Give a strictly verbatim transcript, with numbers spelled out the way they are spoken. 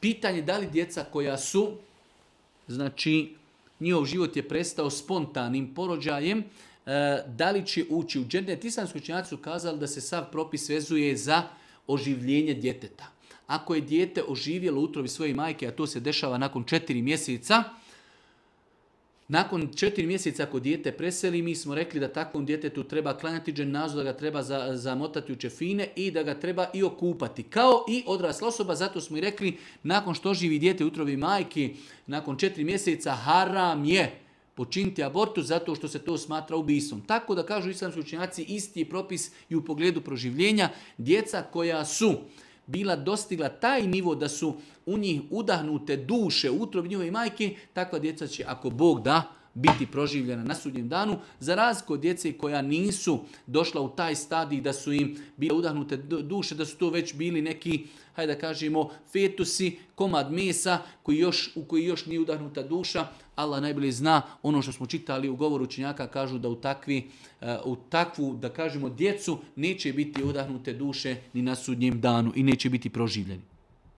Pitanje da li djeca koja su, znači njihov život je prestao spontanim porođajem, da li će ući u džennet. Islamski učenjaci su kazali da se sav propis vezuje za oživljenje djeteta. Ako je dijete oživjelo u utrobi svoje majke, a to se dešava nakon četiri mjeseca, nakon četiri mjeseca ako dijete preseli, mi smo rekli da takvom djetetu treba klanjati dženazu, da ga treba zamotati u čefine i da ga treba i okupati. Kao i odrasla osoba, zato smo i rekli, nakon što živi dijete u utrobi majke, nakon četiri mjeseca haram je počiniti abortus zato što se to smatra ubistvom. Tako da kažu islamski učenjaci, isti je propis i u pogledu proživljenja. Djeca koja su bila dostigla taj nivo da su u njih udahnute duše u utrobi njihove majke, takva djeca će, ako Bog da, biti proživljena na sudnjem danu, za razliku od djece koja nisu došla u taj stadij da su im bile udahnute duše, da su to već bili neki, hajde da kažemo, fetusi, komad mesa koji još, u koji još nije udahnuta duša. Allah najbolje zna, ono što smo čitali u govoru učenjaka, kažu da u, takvi, u takvu, da kažemo, djecu neće biti udahnute duše ni na sudnjem danu i neće biti proživljeni.